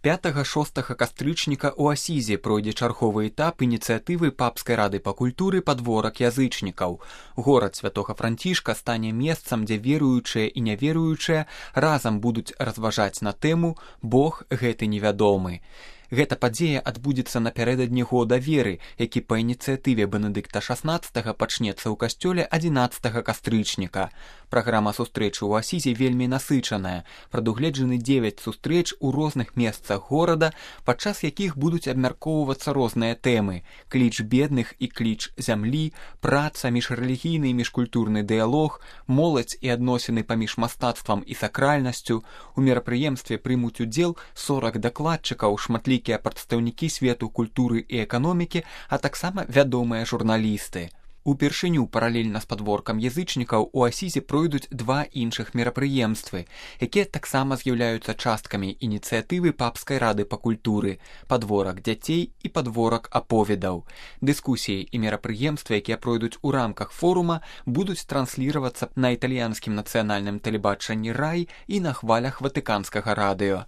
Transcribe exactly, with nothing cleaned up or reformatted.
пятага-шостага кастрычніка ў Асізе пройдзе чарговы этап ініцыятывы Папскай рады па культуры «Падворак язычнікаў». Горад Святога Францішка стане месцам, дзе веруючыя і няверуючыя разам будуць разважаць на тэму «Бог гэты невядомы». Гэта падзея адбудзецца напярэдадні года веры, які па ініцыятыве Бенедыкта шаснаццатага пачнецца ў касцёле адзінаццатага кастрычніка. Праграма сустрэчы ў Асізе вельмі насычаная. Прадугледжаны дзевяць сустрэч у розных месцах горада, падчас якіх будуць абмяркоўвацца розныя тэмы: кліч бедных і кліч зямлі, праца, міжрэлігійны і міжкультурны дыялог, моладзь і адносіны паміж мастацтвам і сакральнасцю. У мерапрыемстве прымуць удзел сорак дакладчыкаў, шматлікія прадстаўнікі свету культуры і эканомікі, а таксама вядомыя журналісты. Упершыню паралельна з падворкам язычнікаў у Асізе пройдуць два іншых мерапрыемствы, якія таксама з'яўляюцца часткамі ініцыятывы Папскай рады па культуры «Падворак дзяцей» і «Падворак аповедаў». Дыскусіі і мерапрыемствы, якія пройдуць у рамках форума, будуць трансліравацца на італьянскім нацыянальным тэлебачанні «Рай» і на хвалях ватыканскага радыё.